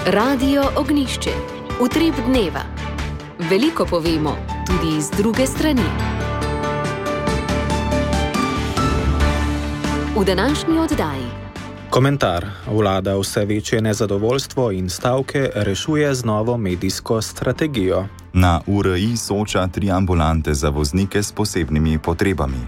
Radio Ognjišče. Utrip dneva. Veliko povemo, tudi iz druge strani. V današnji oddaji. Komentar. Vlada vse večje nezadovoljstvo in stavke rešuje z novo medijsko strategijo. Na URI Soča 3 ambulante za voznike s posebnimi potrebami.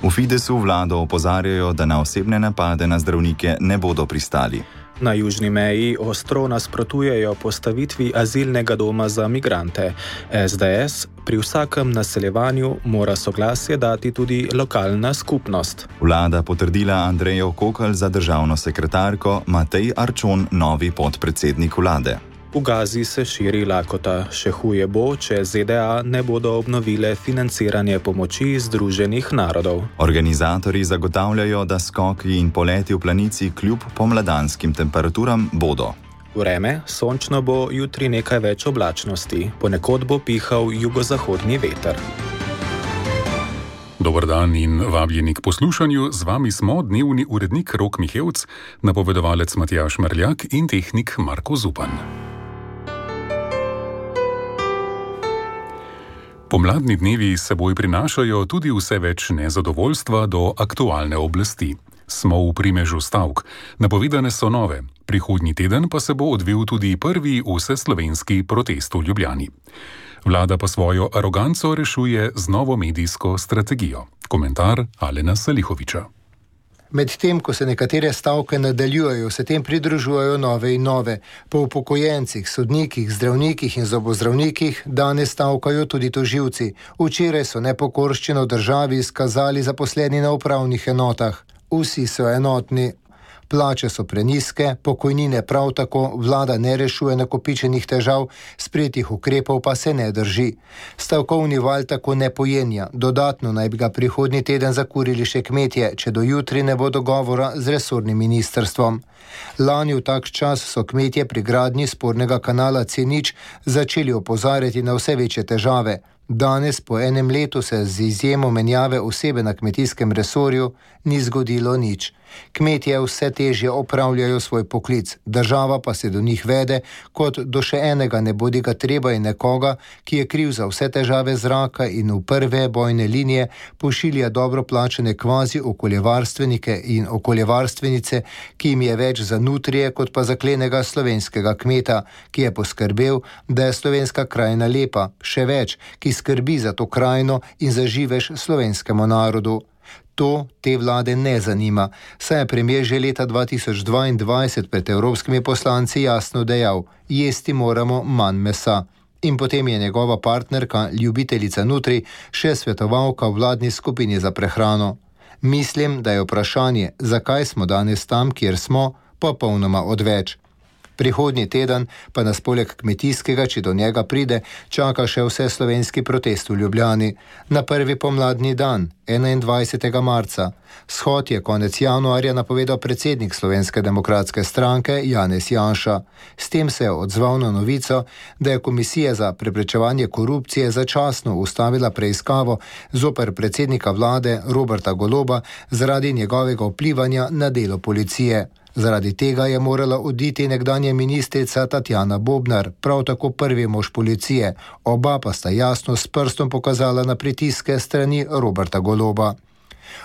V Fidesu vlado opozarjajo, da na osebne napade na zdravnike ne bodo pristali. Na južni meji ostro nasprotujejo postavitvi azilnega doma za migrante. SDS pri vsakem naseljevanju mora soglasje dati tudi lokalna skupnost. Vlada potrdila Andrejo Kokelj za državno sekretarko, Matej Arčon novi podpredsednik vlade. V Gazi se širi lakota. Še huje bo, če ZDA ne bodo obnovile financiranje pomoči Združenih narodov. Organizatorji zagotavljajo, da skoki in poleti v planici kljub pomladanskim temperaturam bodo. Vreme, sončno bo, jutri nekaj več oblačnosti. Ponekod bo pihal jugozahodni veter. Dober dan in vabljeni k poslušanju. Z vami smo dnevni urednik Rok Mihevc, napovedovalec Matjaž Merljak in tehnik Marko Zupan. Pomladni dnevi s seboj prinašajo tudi vse več nezadovoljstva do aktualne oblasti. Smo v primežu stavk. Napovedane so nove. Prihodnji teden pa se bo odvil tudi prvi vseslovenski protest v Ljubljani. Vlada pa svojo aroganco rešuje z novo medijsko strategijo. Komentar Alena Salihoviča. Medtem, ko se nekatere stavke nadaljujejo, se tem pridružujejo nove in nove. Po upokojencih, sodnikih, zdravnikih in zobozdravnikih danes stavkajo tudi tožilci. Včeraj so nepokorščino v državi izkazali zaposleni na upravnih enotah. Vsi so enotni. Plače so prenizke, pokojnine prav tako, vlada ne rešuje nakopičenih težav, sprejetih ukrepov pa se ne drži. Stavkovni val tako ne pojenja. Dodatno naj bi ga prihodnji teden zakurili še kmetje, če do jutri ne bo dogovora z resornim ministrstvom. Lani v tak čas so kmetje pri gradnji spornega kanala C0 začeli opozarjati na vse večje težave. Danes, po enem letu, se z izjemo menjave osebe na kmetijskem resorju ni zgodilo nič. Kmetje vse težje opravljajo svoj poklic, država pa se do njih vede, kot do še enega nebodiga treba in nekoga, ki je kriv za vse težave zraka in v prve bojne linije pošilja dobro plačane kvazi okoljevarstvenike in okoljevarstvenice, ki jim je več za nutrije, kot pa za klenega slovenskega kmeta, ki je poskrbel, da je slovenska krajina lepa, še več, ki skrbi za to krajino in za živež slovenskemu narodu. To te vlade ne zanima, saj je premier že leta 2022 pred evropskimi poslanci jasno dejal: jesti moramo manj mesa. In potem je njegova partnerka, ljubiteljica nutri, še svetovalka v vladni skupini za prehrano. Mislim, da je vprašanje, zakaj smo danes tam, kjer smo, popolnoma odveč. Prihodnji teden pa nas poleg kmetijskega, če do njega pride, čaka še vseslovenski protest v Ljubljani. Na prvi pomladni dan, 21. marca. Shod je konec januarja napovedal predsednik Slovenske demokratske stranke Janez Janša. S tem se je odzval na novico, da je Komisija za preprečevanje korupcije začasno ustavila preiskavo zoper predsednika vlade Roberta Goloba zaradi njegovega vplivanja na delo policije. Zaradi tega je morala oditi nekdanja ministrica Tatjana Bobnar, prav tako prvi mož policije. Oba pa sta jasno s prstom pokazala na pritiske strani Roberta Goloba.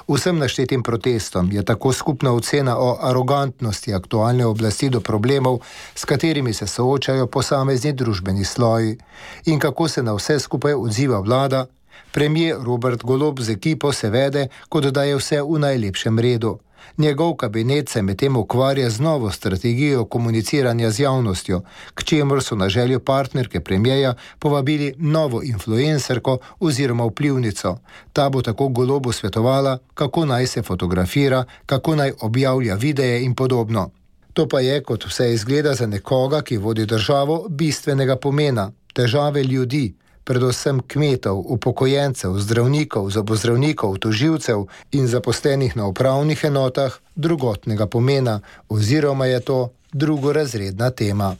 Vsem naštetim protestom je tako skupna ocena o arogantnosti aktualne oblasti do problemov, s katerimi se soočajo posamezni družbeni sloji. In kako se na vse skupaj odziva vlada? Premier Robert Golob z ekipo se vede, kot da je vse v najlepšem redu. Njegov kabinet se medtem ukvarja z novo strategijo komuniciranja z javnostjo, k čemur so na željo partnerke premierja povabili novo influencerko oziroma vplivnico. Ta bo tako Golobu svetovala, kako naj se fotografira, kako naj objavlja videe in podobno. To pa je, kot vse izgleda za nekoga, ki vodi državo, bistvenega pomena. Težave ljudi, predvsem kmetov, upokojencev, zdravnikov, zobozdravnikov, tožilcev in zaposlenih na upravnih enotah, drugotnega pomena, oziroma je to drugorazredna tema.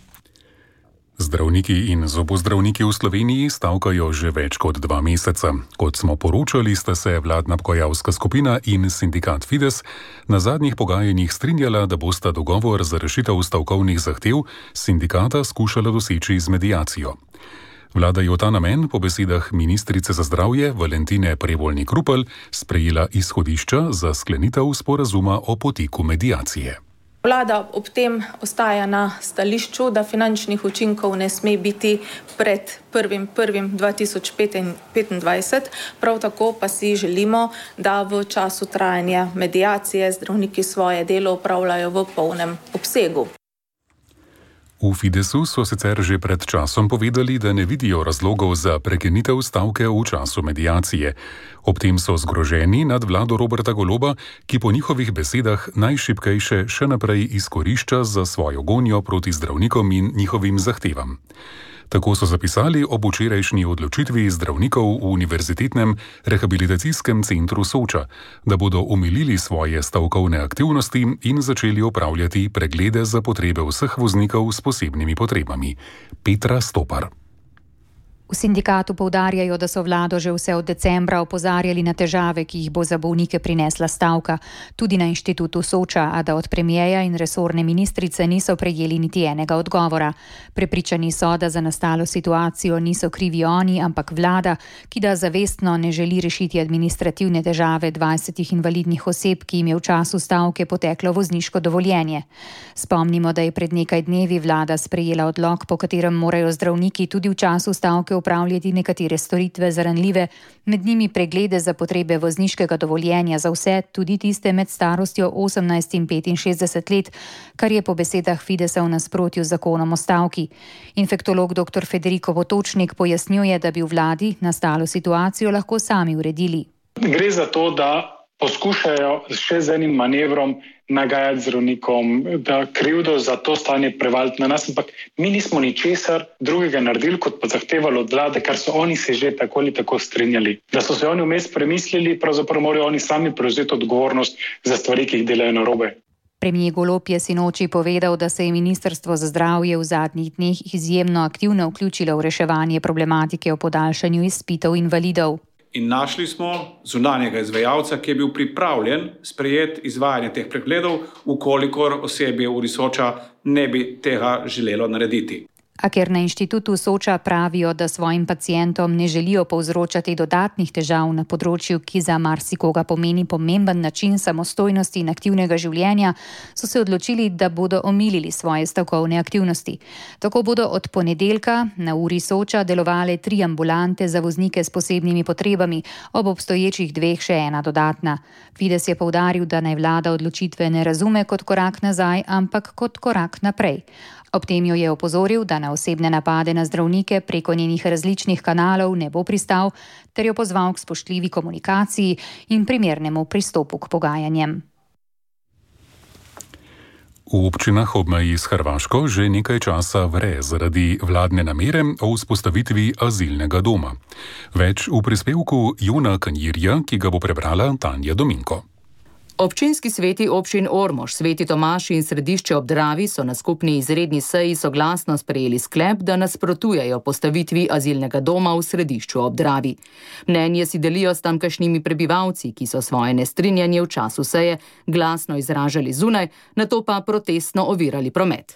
Zdravniki in zobozdravniki v Sloveniji stavkajo že več kot 2 meseca. Kot smo poročali, sta se vladna pogajalska skupina in sindikat Fides na zadnjih pogajanjih strinjala, da bosta dogovor za rešitev stavkovnih zahtev sindikata skušala doseči z mediacijo. Vlada je v ta namen, po besedah ministrice za zdravje Valentine Prevolnik-Rupel, sprejela izhodišča za sklenitev sporazuma o poteku mediacije. Vlada ob tem ostaja na stališču, da finančnih učinkov ne sme biti pred 1.1.2025. Prav tako pa si želimo, da v času trajanja mediacije zdravniki svoje delo opravljajo v polnem obsegu. V Fidesu so sicer že pred časom povedali, da ne vidijo razlogov za prekinitev stavke v času mediacije. Ob tem so zgroženi nad vlado Roberta Goloba, ki po njihovih besedah najšibkejše še naprej izkorišča za svojo gonjo proti zdravnikom in njihovim zahtevam. Tako so zapisali ob včerajšnji odločitvi zdravnikov v Univerzitetnem rehabilitacijskem centru Soča, da bodo omilili svoje stavkovne aktivnosti in začeli opravljati preglede za potrebe vseh voznikov s posebnimi potrebami. Petra Stopar. V sindikatu poudarjajo, da so vlado že vse od decembra opozarjali na težave, ki jih bo za bolnike prinesla stavka, tudi na inštitutu Soča, a da od premierja in resorne ministrice niso prejeli niti enega odgovora. Prepričani so, da za nastalo situacijo niso krivi oni, ampak vlada, ki da zavestno ne želi rešiti administrativne težave 20 invalidnih oseb, ki jim je v času stavke poteklo vozniško dovoljenje. Spomnimo, da je pred nekaj dnevi vlada sprejela odlok, po katerem morajo zdravniki tudi v času stavke upravljati nekatere storitve za ranljive, med njimi preglede za potrebe vozniškega dovoljenja za vse, tudi tiste med starostjo 18 in 65 let, kar je po besedah Fidesa v nasprotju z zakonom o stavki. Infektolog dr. Federico Potočnik pojasnjuje, da bi v vladi nastalo situacijo lahko sami uredili. Gre za to, da poskušajo še z enim manevrom nagajati zdravnikom, da krivdo za to stanje prevaliti na nas, ampak mi nismo ničesar drugega naredili, kot pa zahtevali od vlade, kar so oni se že tako ali tako strinjali. Da so se oni vmes premislili, pravzaprav morajo oni sami prevzeti odgovornost za stvari, ki jih delajo narobe. Premier Golob je sinoči povedal, da se je Ministrstvo za zdravje v zadnjih dneh izjemno aktivno vključilo v reševanje problematike o podaljšanju izpitov invalidov. In našli smo zunanjega izvajalca, ki je bil pripravljen sprejeti izvajanje teh pregledov, ukolikor osebje v Soča ne bi tega želelo narediti. A ker na inštitutu Soča pravijo, da svojim pacientom ne želijo povzročati dodatnih težav na področju, ki za marsikoga pomeni pomemben način samostojnosti in aktivnega življenja, so se odločili, da bodo omilili svoje stavkovne aktivnosti. Tako bodo od ponedeljka na uri Soča delovale 3 ambulante za voznike s posebnimi potrebami, ob obstoječih 2 še ena dodatna. Fides je poudaril, da naj vlada odločitve ne razume kot korak nazaj, ampak kot korak naprej. Ob tem jo je opozoril, da na osebne napade na zdravnike preko njenih različnih kanalov ne bo pristal, ter jo pozval k spoštljivi komunikaciji in primernemu pristopu k pogajanjem. V občinah ob meji s Hrvaško že nekaj časa vre zaradi vladne namere o vzpostavitvi azilnega doma. Več v prispevku Jona Kanjirja, ki ga bo prebrala Tanja Dominko. Občinski sveti občin Ormož, Sveti Tomaž in Središče ob Dravi so na skupni izredni seji soglasno sprejeli sklep, da nasprotujejo postavitvi azilnega doma v Središču ob Dravi. Mnenje si delijo s tamkajšnjimi prebivalci, ki so svoje nestrinjanje v času seje glasno izražali zunaj, nato pa protestno ovirali promet.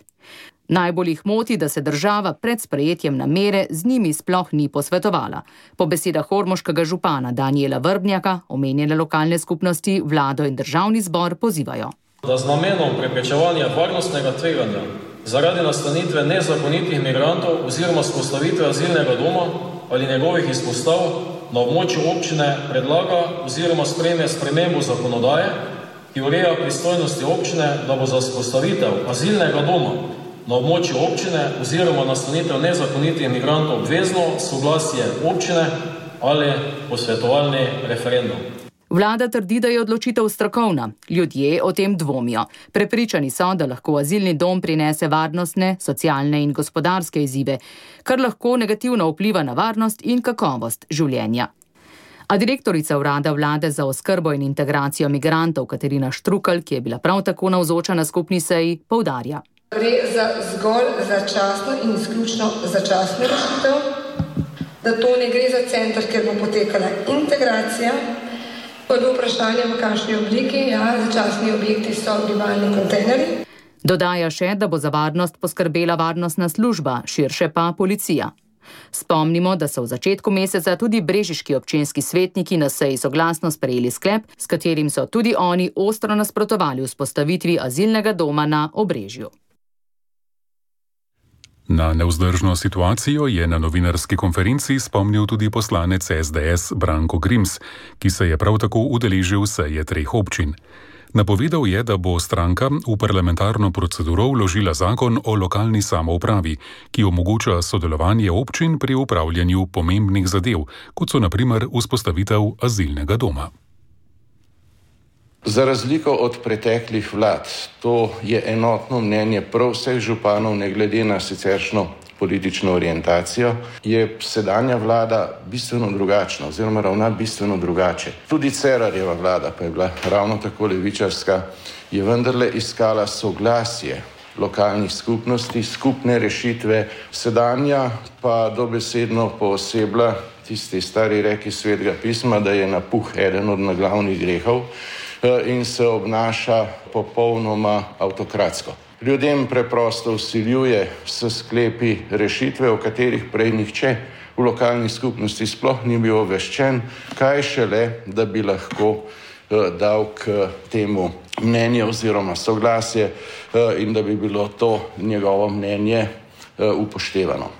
Najbolj jih moti, da se država pred sprejetjem namere z njimi sploh ni posvetovala. Po besedah ormoškega župana Danijela Vrbnjaka, omenjene lokalne skupnosti, vlado in državni zbor pozivajo. Da z namenom preprečevanja varnostnega tveganja zaradi nastanitve nezakonitih migrantov oziroma vzpostavitve azilnega doma ali njegovih izpostav na območju občine predlaga oziroma sprejme spremembo zakonodaje, ki ureja pristojnosti občine, da bo za vzpostavitev azilnega doma na območju občine oziroma nastanitev nezakonitih migrantov obvezno soglasje občine ali posvetovalni referendum. Vlada trdi, da je odločitev strokovna. Ljudje o tem dvomijo. Prepričani so, da lahko azilni dom prinese varnostne, socialne in gospodarske izzive, kar lahko negativno vpliva na varnost in kakovost življenja. A direktorica urada vlade za oskrbo in integracijo migrantov Katarina Štrukelj, ki je bila prav tako navzoča na skupni seji, poudarja. Gre za zgolj začasno in izključno začasno rešitev, da to ne gre za center, kjer bo potekala integracija. Prvo vprašanje, v kakšni obliki, začasni objekti so bivalni kontejnerji. Dodaja še, da bo za varnost poskrbela varnostna služba, širše pa policija. Spomnimo, da so v začetku meseca tudi brežiški občinski svetniki na seji soglasno sprejeli sklep, s katerim so tudi oni ostro nasprotovali vzpostavitvi azilnega doma na Obrežju. Na nevzdržno situacijo je na novinarski konferenci spomnil tudi poslanec SDS Branko Grims, ki se je prav tako udeležil seje 3 občin. Napovedal je, da bo stranka v parlamentarno proceduro vložila zakon o lokalni samoupravi, ki omogoča sodelovanje občin pri upravljanju pomembnih zadev, kot so na primer vzpostavitev azilnega doma. Za razliko od preteklih vlad, to je enotno mnenje prav vseh županov, ne glede na siceršno politično orientacijo, je sedanja vlada bistveno drugačna oziroma ravna bistveno drugače. Tudi Cerarjeva vlada, pa je bila ravno tako levičarska, je vendarle iskala soglasje lokalnih skupnosti, skupne rešitve. Sedanja pa dobesedno poosebla tisti stari reki Svetega pisma, da je napuh eden od naglavnih grehov, in se obnaša popolnoma avtokratsko. Ljudem preprosto vsiljuje s sklepi rešitve, o katerih prej nihče v lokalni skupnosti sploh ni bil obveščen, kaj šele, da bi lahko dal k temu mnenje oziroma soglasje in da bi bilo to njegovo mnenje upoštevano.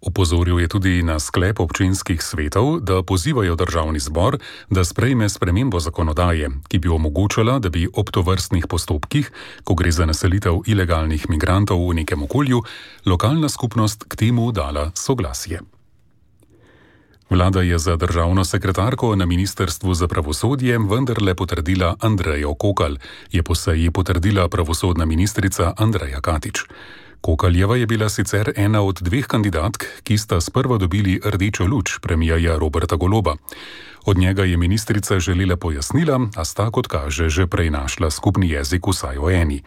Opozoril je tudi na sklep občinskih svetov, da pozivajo državni zbor, da sprejme spremembo zakonodaje, ki bi omogočala, da bi ob tovrstnih postopkih, ko gre za naselitev ilegalnih migrantov v nekem okolju, lokalna skupnost k temu dala soglasje. Vlada je za državno sekretarko na Ministrstvu za pravosodje vendarle potrdila Andrejo Kokalj, je po seji potrdila pravosodna ministrica Andreja Katič. Kokaljeva je bila sicer ena od 2 kandidatk, ki sta sprva dobili rdečo luč premierja Roberta Goloba. Od njega je ministrica želela pojasnila, a sta, kot kaže, že prej našla skupni jezik vsaj o eni.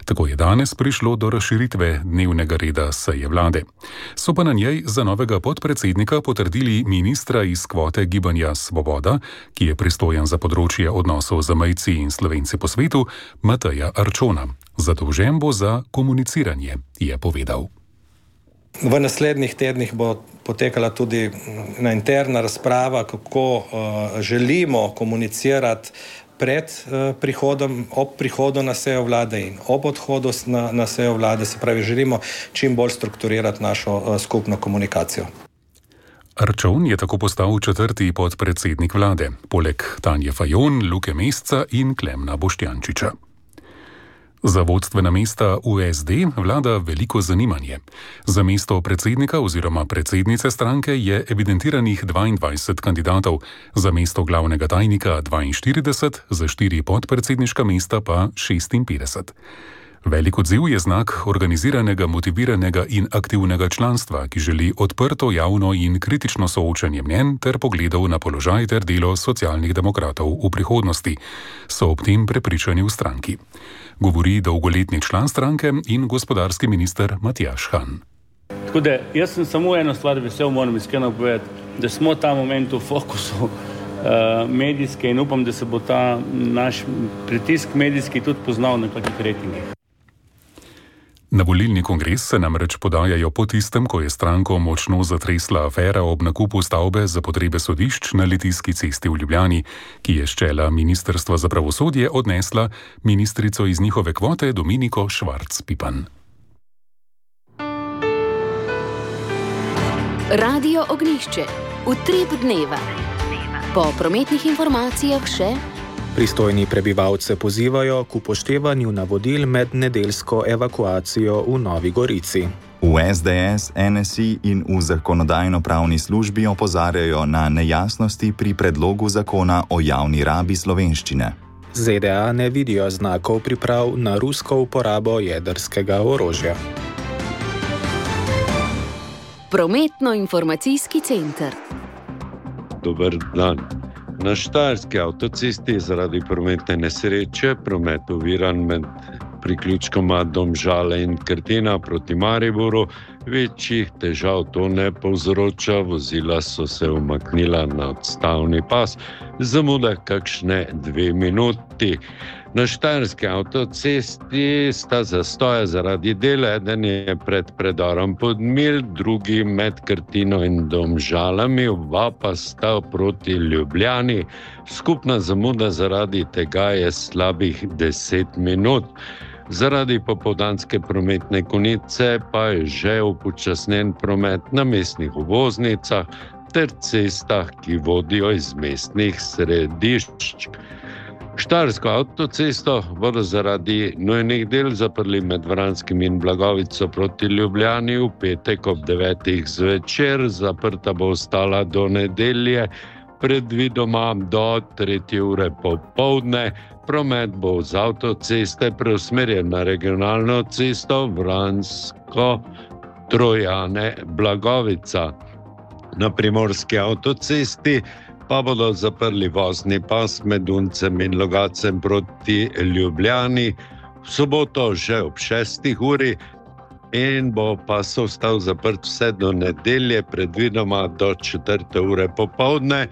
Tako je danes prišlo do razširitve dnevnega reda seje vlade. So pa na njej za novega podpredsednika potrdili ministra iz kvote Gibanja Svoboda, ki je pristojen za področje odnosov z zamejci in Slovenci po svetu, Mateja Arčona. Zadolžen bo za komuniciranje, je povedal. V naslednjih tednih bo potekala tudi ena interna razprava, kako želimo komunicirati pred prihodom, ob prihodu na sejo vlade in ob odhodu na sejo vlade. Se pravi, želimo čim bolj strukturirati našo skupno komunikacijo. Arčon je tako postal 4. podpredsednik vlade, poleg Tanje Fajon, Luke Mesca in Klemna Boštjančiča. Za vodstvena mesta v SD vlada veliko zanimanje. Za mesto predsednika oziroma predsednice stranke je evidentiranih 22 kandidatov, za mesto glavnega tajnika 42, za 4 podpredsedniška mesta pa 56. Velik odziv je znak organiziranega, motiviranega in aktivnega članstva, ki želi odprto, javno in kritično soočanje mnenj ter pogledov na položaj ter delo socialnih demokratov v prihodnosti, so ob tem prepričani v stranki. Govori dolgoletni član stranke in gospodarski minister Matjaž Han. Tako da jaz sem samo eno stvar vesel, moram iskreno povedati, da smo ta moment v fokusu medijske in upam, da se bo ta naš pritisk medijski tudi poznal na kakih rejtingih. Na volilni kongres se namreč podajajo po tistem, ko je stranko močno zatresla afera ob nakupu stavbe za potrebe sodišč na Litijski cesti v Ljubljani, ki je s čela Ministrstva za pravosodje odnesla ministrico iz njihove kvote Dominiko Švarc Pipan. Radio Ognjišče. Utrip dneva. Po prometnih informacijah še... Pristojni prebivalce pozivajo k upoštevanju navodil med nedeljsko evakuacijo v Novi Gorici. V SDS, NSI in v zakonodajno-pravni službi opozarjajo na nejasnosti pri predlogu zakona o javni rabi slovenščine. ZDA ne vidijo znakov priprav na rusko uporabo jedrskega orožja. Prometno-informacijski center. Dober dan. Na štajerski avtocesti je zaradi prometne nesreče promet oviran med priključkoma Domžale in Krtina proti Mariboru. Večjih težav to ne povzroča, vozila so se umaknila na odstavni pas, zamuda kakšne 2 minuti. Na Štajerski avtocesti sta zastoja zaradi dela, eden je pred predorom Podmilj, drugi med Krtino in Domžalami, oba pa sta proti Ljubljani. Skupna zamuda zaradi tega je slabih 10 minut. Zaradi popoldanske prometne konice pa je že upočasnjen promet na mestnih obvoznicah ter cestah, ki vodijo iz mestnih središč. Štajersko avtocesto bodo zaradi nujnih del zaprli med Vranskim in Blagovico proti Ljubljani v petek ob 9. zvečer, zaprta bo ostala do nedelje, predvidoma do 3. ure popoldne. Promet bo z avtoceste preusmerjen na regionalno cesto Vransko-Trojane-Blagovica. Na primorski avtocesti pa bodo zaprli vozni pas med Uncem in Logacem proti Ljubljani v soboto že ob 6. uri in bo pas ostal zaprt vse do nedelje, predvidoma do 4. ure popoldne.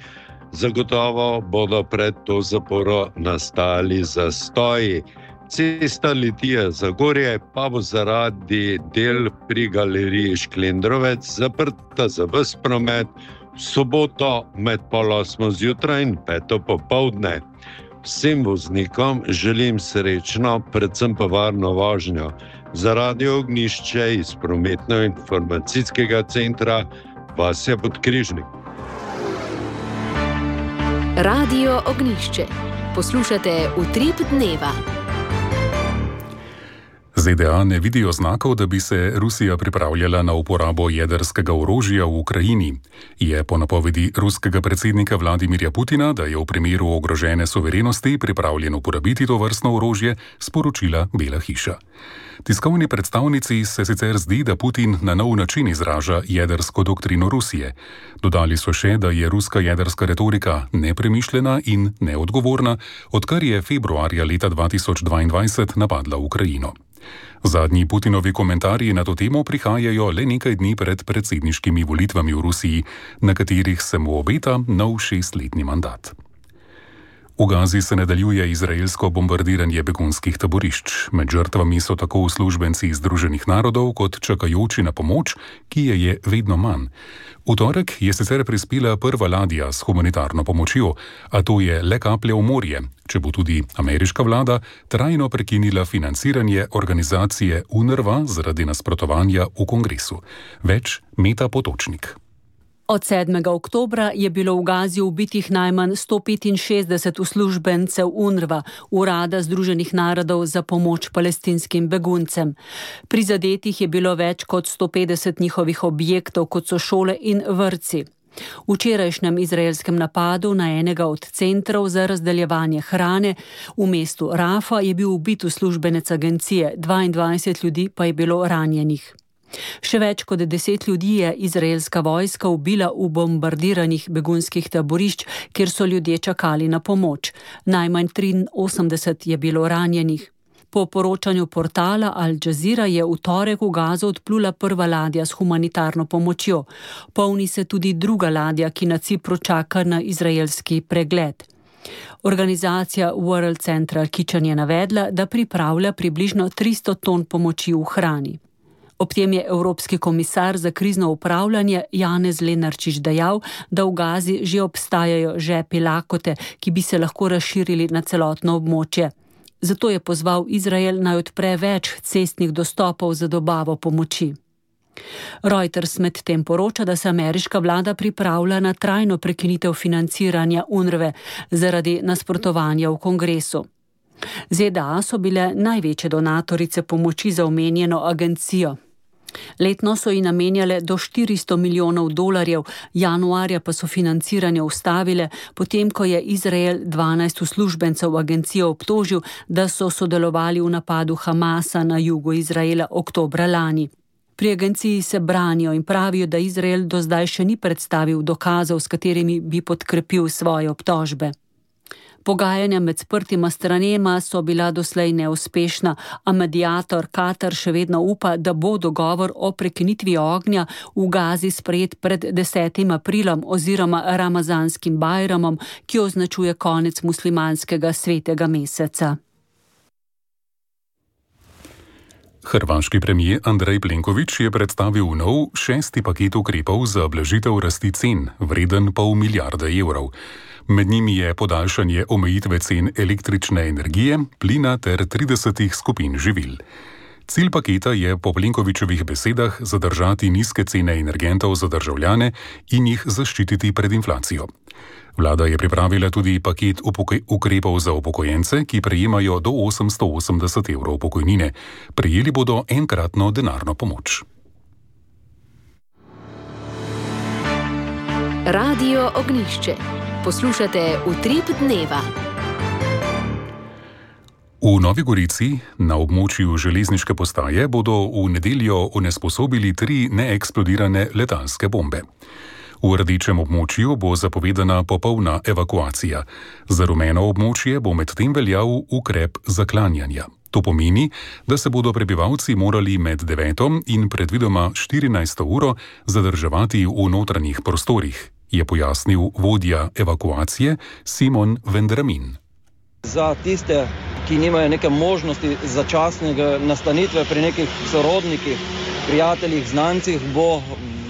Zagotovo bodo pred to zaporo nastali zastoji. Cesta Litija-Zagorje pa bo zaradi del pri galeriji Šklendrovec zaprta za ves promet v soboto med 7:30 zjutraj in 5. popoldne. Vsem voznikom želim srečno, predvsem pa varno vožnjo. Za Radio Ognjišče iz prometno-informacijskega centra Vasja Podkrižnik. Radio Ognjišče. Poslušate Utrip dneva. ZDA ne vidijo znakov, da bi se Rusija pripravljala na uporabo jedrskega orožja v Ukrajini. Je po napovedi ruskega predsednika Vladimirja Putina, da je v primeru ogrožene suverenosti pripravljen uporabiti to vrstno orožje, sporočila Bela hiša. Tiskovni predstavnici se sicer zdi, da Putin na nov način izraža jedrsko doktrino Rusije. Dodali so še, da je ruska jedrska retorika nepremišljena in neodgovorna, odkar je februarja leta 2022 napadla Ukrajino. Zadnji Putinovi komentarji na to temo prihajajo le nekaj dni pred predsedniškimi volitvami v Rusiji, na katerih se mu obeta nov 6-letni mandat. V Gazi se nadaljuje izraelsko bombardiranje begunskih taborišč. Med žrtvami so tako uslužbenci Združenih narodov kot čakajoči na pomoč, ki je vedno manj. V torek je sicer prispela prva ladja s humanitarno pomočjo, a to je le kaplja v morje, če bo tudi ameriška vlada trajno prekinila financiranje organizacije UNRWA zaradi nasprotovanja v kongresu. Več Meta Potočnik. Od 7. oktobra je bilo v Gazi ubitih najmanj 165 uslužbencev UNRWA, Urada Združenih narodov za pomoč palestinskim beguncem. Prizadetih je bilo več kot 150 njihovih objektov, kot so šole in vrtci. V včerajšnjem izraelskem napadu na enega od centrov za razdeljevanje hrane v mestu Rafa je bil ubit uslužbenec agencije, 22 ljudi pa je bilo ranjenih. Še več kot 10 ljudi je izraelska vojska ubila v bombardiranih begunskih taborišč, kjer so ljudje čakali na pomoč. Najmanj 83 je bilo ranjenih. Po poročanju portala Al Jazeera je v torek v Gazo odplula prva ladja s humanitarno pomočjo. Polni se tudi druga ladja, ki na Cipru čaka na izraelski pregled. Organizacija World Central Kitchen je navedla, da pripravlja približno 300 ton pomoči v hrani. Ob tem je Evropski komisar za krizno upravljanje Janez Lenarčič dejal, da v Gazi že obstajajo žepi lakote, ki bi se lahko razširili na celotno območje. Zato je pozval Izrael naj odpre več cestnih dostopov za dobavo pomoči. Reuters medtem poroča, da se ameriška vlada pripravlja na trajno prekinitev financiranja UNRWE zaradi nasprotovanja v kongresu. ZDA so bile največje donatorice pomoči za omenjeno agencijo. Letno so ji namenjale do $400 milijonov, januarja pa so financiranje ustavile, potem ko je Izrael 12 uslužbencev agencijo obtožil, da so sodelovali v napadu Hamasa na jugu Izraela oktobra lani. Pri agenciji se branijo in pravijo, da Izrael do zdaj še ni predstavil dokazov, s katerimi bi podkrepil svoje obtožbe. Pogajanja med sprtima stranema so bila doslej neuspešna, a mediator Katar še vedno upa, da bo dogovor o prekinitvi ognja v Gazi sprejet pred 10. aprilom oziroma ramazanskim bajramom, ki označuje konec muslimanskega svetega meseca. Hrvaški premijer Andrej Plenković je predstavil nov 6. paket ukrepov za blažitev rasti cen, vreden pol milijarde evrov. Med njimi je podaljšanje omejitve cen električne energije, plina ter 30 skupin živil. Cilj paketa je po Plenkovićevih besedah zadržati nizke cene energentov za državljane in jih zaščititi pred inflacijo. Vlada je pripravila tudi paket ukrepov za upokojence, ki prejemajo do 880 evrov pokojnine. Prejeli bodo enkratno denarno pomoč. Radio Ognjišče. Poslušate Utrip dneva. V Novi Gorici na območju železniške postaje bodo v nedeljo onesposobili 3 neeksplodirane letalske bombe. V rdečem območju bo zapovedana popolna evakuacija. Za rumeno območje bo medtem veljal ukrep zaklanjanja. To pomeni, da se bodo prebivalci morali med 9. in predvidoma 14. uro zadrževati v notranjih prostorih, je pojasnil vodja evakuacije Simon Vendramin. Za tiste, ki nimajo neke možnosti začasnega nastanitve pri nekih sorodnikih, prijateljih, znancih, bo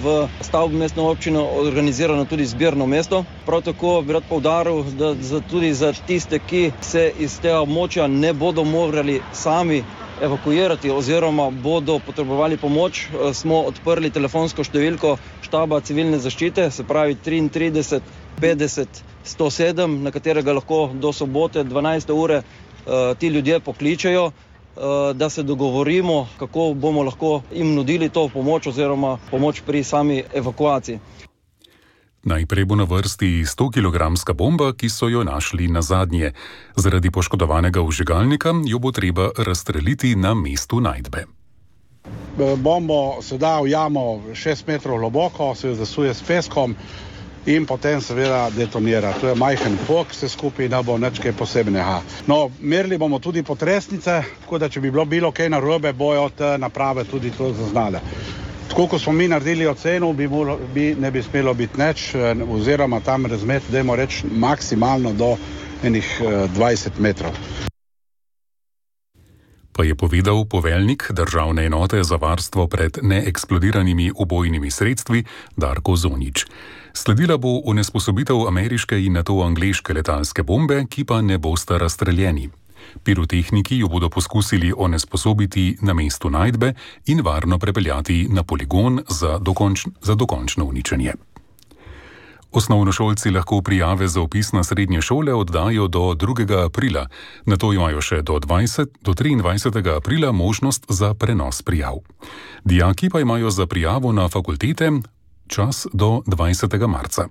v stavbi mestne občine organizirano tudi zbirno mesto. Prav tako bi rad poudaril, da tudi za tiste, ki se iz tega območja ne bodo morali sami evakuirati oziroma bodo potrebovali pomoč, smo odprli telefonsko številko štaba civilne zaščite, se pravi 33 50 107, na katerega lahko do sobote 12. ure ti ljudje pokličejo, da se dogovorimo, kako bomo lahko jim nudili to pomoč oziroma pomoč pri sami evakuaciji. Najprej bo na vrsti 100-kilogramska bomba, ki so jo našli nazadnje. Zaradi poškodovanega vžigalnika jo bo treba razstreliti na mestu najdbe. Bombo se da v jamo 6 metrov globoko, se jo zasuje s peskom in potem seveda detonira. To je majhen pok, vse skupaj ne bo nič kaj posebnega. No, merili bomo tudi potresnice, tako da če bi bilo kaj narobe, bojo te naprave tudi to zaznale. Tako kot smo mi naredili oceno, ne bi smelo biti nič, oziroma tam razmet, dajmo reči, maksimalno do enih 20 metrov. Pa je povedal poveljnik Državne enote za varstvo pred neeksplodiranimi ubojnimi sredstvi Darko Zonič. Sledila bo onesposobitev ameriške in nato angleške letalske bombe, ki pa ne bosta razstreljeni. Pirotehniki jo bodo poskusili onesposobiti na mestu najdbe in varno prepeljati na poligon za dokončno uničenje. Osnovnošolci lahko prijave za vpis na srednje šole oddajo do 2. aprila, nato imajo še do 23. aprila možnost za prenos prijav. Dijaki pa imajo za prijavo na fakultete čas do 20. marca.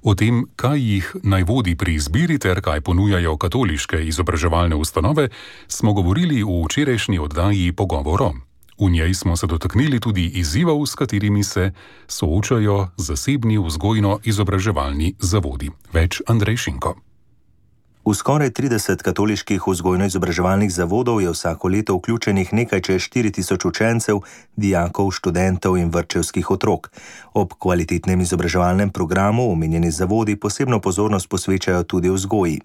O tem, kaj jih naj vodi pri izbiri ter kaj ponujajo katoliške izobraževalne ustanove, smo govorili v včerajšnji oddaji Pogovoro. V njej smo se dotaknili tudi izzivov, s katerimi se soočajo zasebni vzgojno-izobraževalni zavodi. Več Andrej Šinko. V skoraj 30 katoliških vzgojno-izobraževalnih zavodov je vsako leto vključenih nekaj čez 4000 učencev, dijakov, študentov in vrtčevskih otrok. Ob kvalitetnem izobraževalnem programu omenjeni zavodi posebno pozornost posvečajo tudi vzgoji.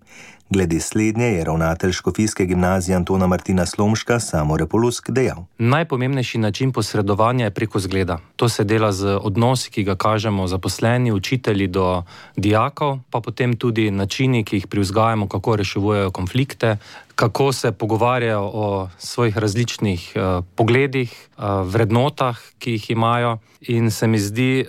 Glede slednje je ravnatelj Škofijske gimnazije Antona Martina Slomška Samo Repolusk dejal. Najpomembnejši način posredovanja je preko zgleda. To se dela z odnosi, ki ga kažemo zaposleni, učitelji do dijakov, pa potem tudi načini, ki jih privzgajamo, kako rešujejo konflikte, kako se pogovarjajo o svojih različnih pogledih, vrednotah, ki jih imajo, in se mi zdi,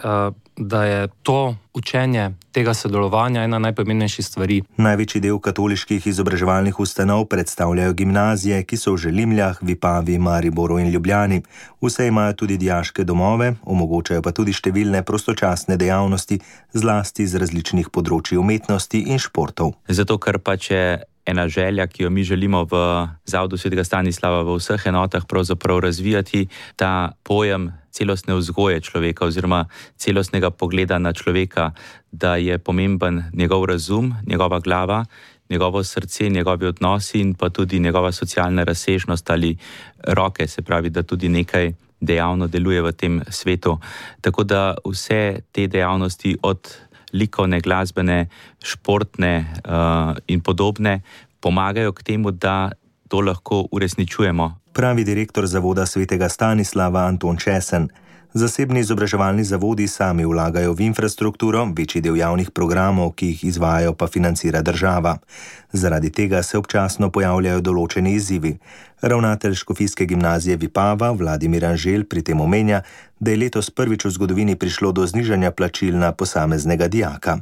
da je to učenje tega sodelovanja ena najpomembnejših stvari. Največji del katoliških izobraževalnih ustanov predstavljajo gimnazije, ki so v Želimljah, Vipavi, Mariboru in Ljubljani. Vse imajo tudi dijaške domove, omogočajo pa tudi številne prostočasne dejavnosti, zlasti z različnih področij umetnosti in športov. Zato, ker pač je ena želja, ki jo mi želimo v Zavodu Svetega Stanislava v vseh enotah pravzaprav razvijati, ta pojem celostne vzgoje človeka oziroma celostnega pogleda na človeka, da je pomemben njegov razum, njegova glava, njegovo srce, njegovi odnosi in pa tudi njegova socialna razsežnost ali roke, se pravi, da tudi nekaj dejavno deluje v tem svetu. Tako da vse te dejavnosti od likovne, glasbene, športne in podobne pomagajo k temu, da to lahko uresničujemo. Pravi direktor Zavoda svetega Stanislava Anton Česen. Zasebni izobraževalni zavodi sami vlagajo v infrastrukturo, večji del javnih programov, ki jih izvajajo, pa financira država. Zaradi tega se občasno pojavljajo določeni izzivi. Ravnatelj Škofijske gimnazije Vipava Vladimir Anžel pri tem omenja, da je letos prvič v zgodovini prišlo do znižanja plačil na posameznega dijaka.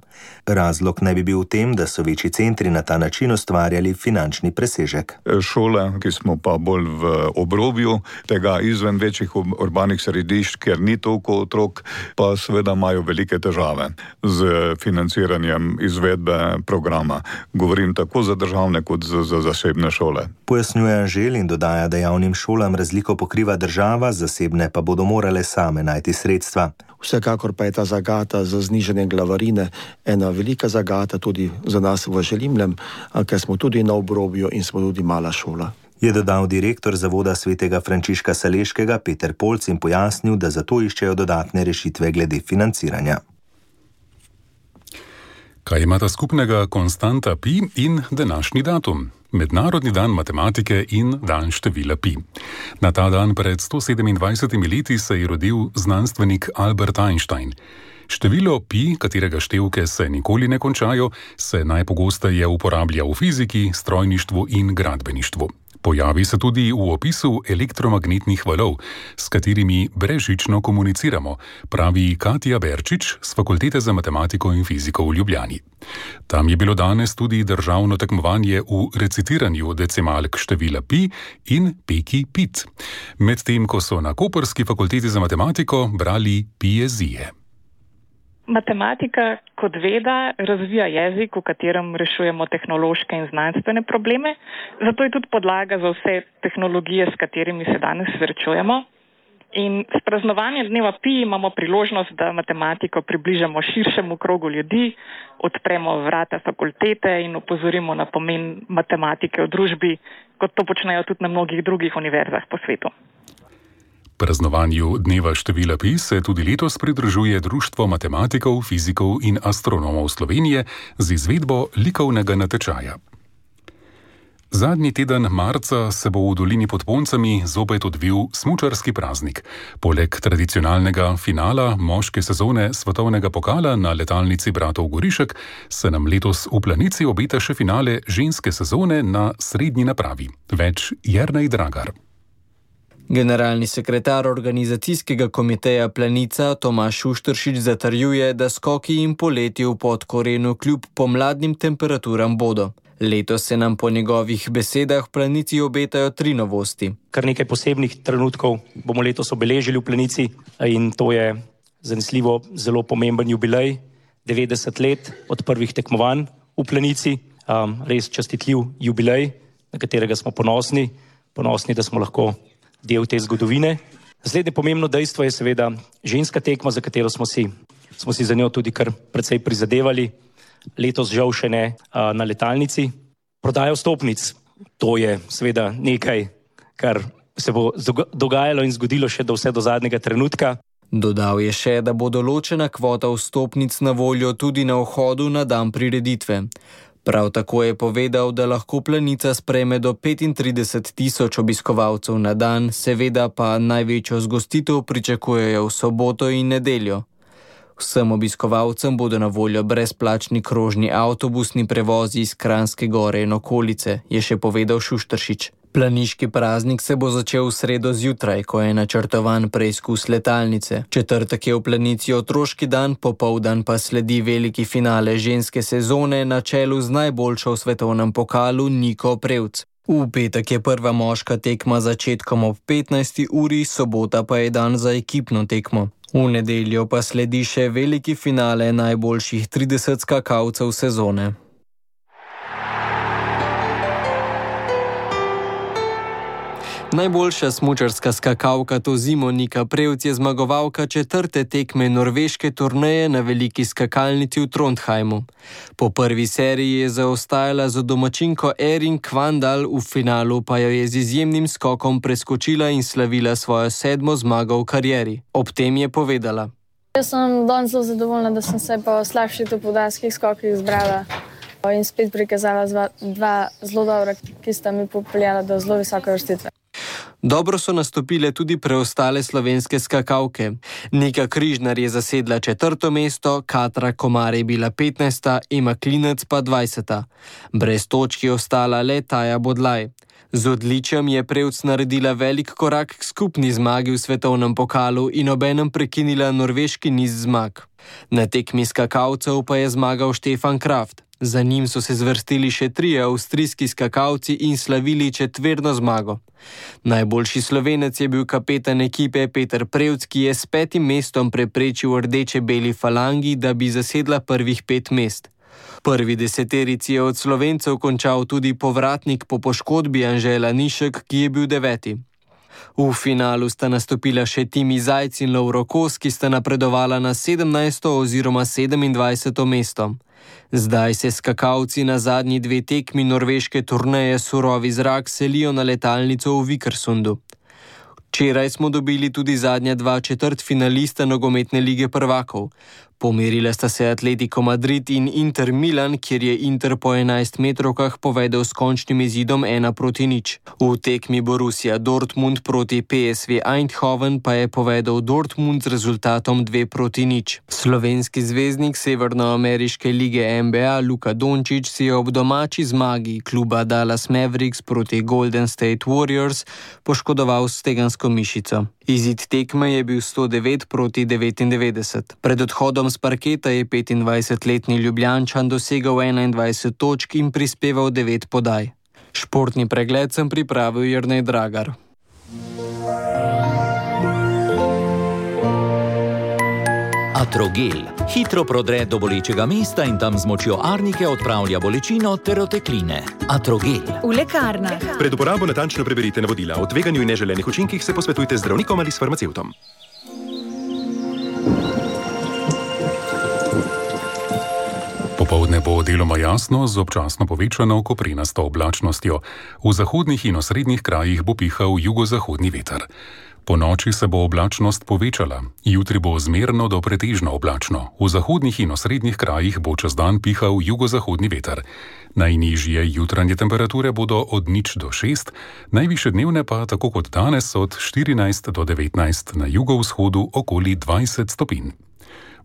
Razlog naj bi bil v tem, da so večji centri na ta način ustvarjali finančni presežek. Šole, ki smo pa bolj v obrobju tega izven večjih urbanih središč, kjer ni toliko otrok, pa seveda imajo velike težave z financiranjem izvedbe programa. Govorim tako za državne kot za zasebne šole. Pojasnjuje Anžel in dodaja, da javnim šolam razliko pokriva država, zasebne pa bodo morale same najti sredstva. Vsekakor pa je ta zagata za znižanje glavarine ena velika zagata tudi za nas v Želimljem, ker smo tudi na obrobju in smo tudi mala šola. Je dodal direktor Zavoda svetega Frančiška Saleškega Peter Polc in pojasnil, da zato iščejo dodatne rešitve glede financiranja. Kaj imata skupnega konstanta pi in današnji datum? Mednarodni dan matematike in dan števila pi. Na ta dan pred 127 leti se je rodil znanstvenik Albert Einstein. Število pi, katerega števke se nikoli ne končajo, se najpogosteje uporablja v fiziki, strojništvu in gradbeništvu. Pojavi se tudi v opisu elektromagnetnih valov, s katerimi brezžično komuniciramo, pravi Katja Berčič z Fakultete za matematiko in fiziko v Ljubljani. Tam je bilo danes tudi državno tekmovanje v recitiranju decimalk števila pi in peki pit, medtem ko so na Koprski fakulteti za matematiko brali piezije. Matematika kot veda razvija jezik, v katerem rešujemo tehnološke in znanstvene probleme, zato je tudi podlaga za vse tehnologije, s katerimi se danes srečujemo. In s praznovanjem dneva pi imamo priložnost, da matematiko približamo širšemu krogu ljudi, odpremo vrata fakultete in opozorimo na pomen matematike v družbi, kot to počnejo tudi na mnogih drugih univerzah po svetu. Praznovanju dneva števila pi se tudi letos pridružuje Društvo matematikov, fizikov in astronomov Slovenije z izvedbo likovnega natečaja. Zadnji teden marca se bo v dolini pod Poncami zopet odvil smučarski praznik. Poleg tradicionalnega finala moške sezone svetovnega pokala na letalnici bratov Gorišek se nam letos v Planici obeta še finale ženske sezone na srednji napravi. Več Jernej Dragar. Generalni sekretar organizacijskega komiteja Planica Tomaž Šušteršič zatrjuje, da skoki in poleti v Podkorenu kljub pomladnim temperaturam bodo. Letos se nam po njegovih besedah v Planici obetajo 3 novosti. Kar nekaj posebnih trenutkov bomo letos obeležili v Planici in to je zanesljivo zelo pomemben jubilej, 90 let od prvih tekmovanj v Planici, res častitljiv jubilej, na katerega smo ponosni, da smo lahko del te zgodovine. Naslednje pomembno dejstvo je seveda ženska tekma, za katero smo si za njo tudi kar precej prizadevali. Letos žal še ne na letalnici. Prodaja vstopnic, to je seveda nekaj, kar se bo dogajalo in zgodilo še vse do zadnjega trenutka. Dodal je še, da bo določena kvota vstopnic na voljo tudi na vhodu na dan prireditve. Prav tako je povedal, da lahko Planica sprejme do 35.000 obiskovalcev na dan, seveda pa največjo zgostitev pričakujejo v soboto in nedeljo. Vsem obiskovalcem bodo na voljo brezplačni krožni avtobusni prevozi iz Kranjske Gore in okolice, je še povedal Šušteršič. Planiški praznik se bo začel v sredo zjutraj, ko je načrtovan preizkus letalnice. Četrtek je v Planici otroški dan, popoldan pa sledi veliki finale ženske sezone na čelu z najboljšo v svetovnem pokalu Niko Prevc. V petek je prva moška tekma začetkom ob 15. uri, sobota pa je dan za ekipno tekmo. V nedeljo pa sledi še veliki finale najboljših 30 skakalcev sezone. Najboljša smučarska skakalka to zimo Nika Prevc je zmagovalka 4. tekme norveške turneje na veliki skakalnici v Trondheimu. Po prvi seriji je zaostajala za domačinko Erin Kvandal, v finalu pa jo je z izjemnim skokom preskočila in slavila svojo 7. zmago v karieri. Ob tem je povedala: Jaz sem danes zelo zadovoljna, da sem se po slabših topodanskih skokih zbrala in spet prikazala dva zelo dobra, ki sta mi popeljala do zelo visoke vrstitve. Dobro so nastopile tudi preostale slovenske skakalke. Nika Križnar je zasedla 4. mesto, Katra Komar je bila 15., Ema Klinec pa 20. Brez točk je ostala le Taja Bodlaj. Z odličjem je Prevc naredila velik korak k skupni zmagi v svetovnem pokalu in obenem prekinila norveški niz zmag. Na tekmi skakalcev pa je zmagal Štefan Kraft. Za njim so se zvrstili še 3 avstrijski skakalci in slavili 4. zmago. Najboljši Slovenec je bil kapetan ekipe Peter Prevc, ki je s 5. mestom preprečil rdeče-beli falangi, da bi zasedla prvih 5 mest. Prvi deseterici je od Slovencev končal tudi povratnik po poškodbi Anže Lanišek, ki je bil 9. V finalu sta nastopila še Timi Zajc in Lovro Kos, ki sta napredovala na 17. oziroma 27. mesto. Zdaj se skakalci na zadnji 2 tekmi norveške turneje Surovi zrak selijo na letalnico v Vikersundu. Včeraj smo dobili tudi zadnja 2 četrtfinalista nogometne lige prvakov. Pomerila sta se Atletico Madrid in Inter Milan, kjer je Inter po 11 metrovkah povedel s končnim izidom 1-0. V tekmi Borussia Dortmund proti PSV Eindhoven pa je povedel Dortmund z rezultatom 2-0. Slovenski zvezdnik severnoameriške lige NBA Luka Dončić si je ob domači zmagi kluba Dallas Mavericks proti Golden State Warriors poškodoval stegensko mišico. Izid tekme je bil 109-99. Pred odhodom z parketa je 25-letni Ljubljančan dosegel 21 točk in prispeval 9 podaj. Športni pregled sem pripravil Jernej Dragar. Atrogel hitro prodre do bolečega mesta in tam z močjo arnike odpravlja bolečino ter otekline. Atrogel. V lekarnah. Pred uporabo natančno preberite navodila. O tveganju in neželenih učinkih se posvetujte z zdravnikom ali s farmacevtom. Popoldne bo deloma jasno z občasno povečano koprenasto oblačnostjo. V zahodnih in osrednjih krajih bo pihal jugozahodni veter. Po noči se bo oblačnost povečala. Jutri bo zmerno do pretežno oblačno. V zahodnih in osrednjih krajih bo čez dan pihal jugozahodni veter. Najnižje jutranje temperature bodo od 0 do 6, najvišje dnevne pa, tako kot danes, od 14 do 19, na jugovzhodu okoli 20 stopinj.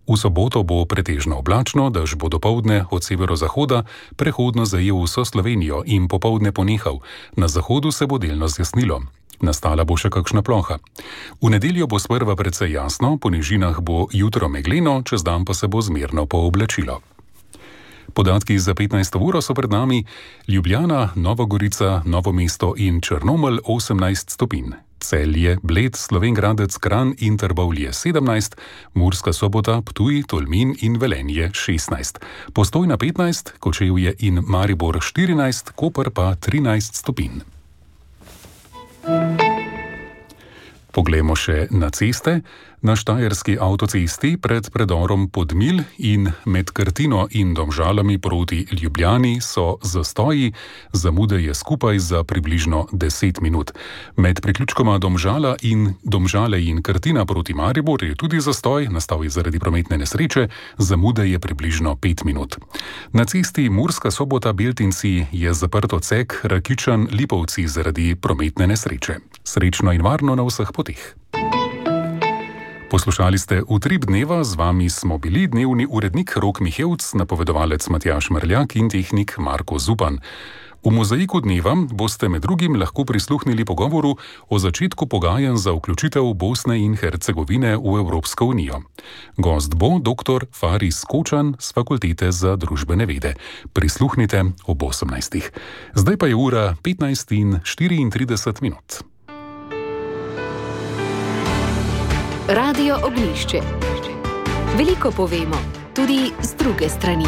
V soboto bo pretežno oblačno, dež bo dopoldne od severozahoda prehodno zajel vso Slovenijo in popoldne ponehal. Na zahodu se bo delno zjasnilo. Nastala bo še kakšna ploha. V nedeljo bo sprva precej jasno, po nižinah bo jutro megleno, čez dan pa se bo zmerno pooblačilo. Podatki za 15. uro so pred nami: Ljubljana, Nova Gorica, Novo mesto in Črnomelj 18 stopinj. Celje, Bled, Slovenj Gradec, Kranj in Trbovlje 17, Murska Sobota, Ptuj, Tolmin in Velenje 16, Postojna 15, Kočevje in Maribor 14, Koper pa 13 stopinj. Poglejmo še na ceste. Na štajerski avtocesti pred predorom Podmilj in med Krtino in Domžalami proti Ljubljani so zastoji, zamude je skupaj za približno 10 minut. Med priključkoma Domžale in Krtina proti Maribor je tudi zastoj, nastal je zaradi prometne nesreče, zamude je približno 5 minut. Na cesti Murska Sobota Beltinci je zaprt odsek Rakičan-Lipovci zaradi prometne nesreče. Srečno in varno na vseh poteh. Poslušali ste Utrip dneva, z vami smo bili dnevni urednik Rok Mihevc, napovedovalec Matjaž Mrljak in tehnik Marko Zupan. V mozaiku dneva boste med drugim lahko prisluhnili pogovoru o začetku pogajanj za vključitev Bosne in Hercegovine v Evropsko unijo. Gost bo dr. Faris Kočan z Fakultete za družbene vede. Prisluhnite ob 18. Zdaj pa je ura 15:34. Radio Oglišče. Veliko povemo, tudi z druge strani.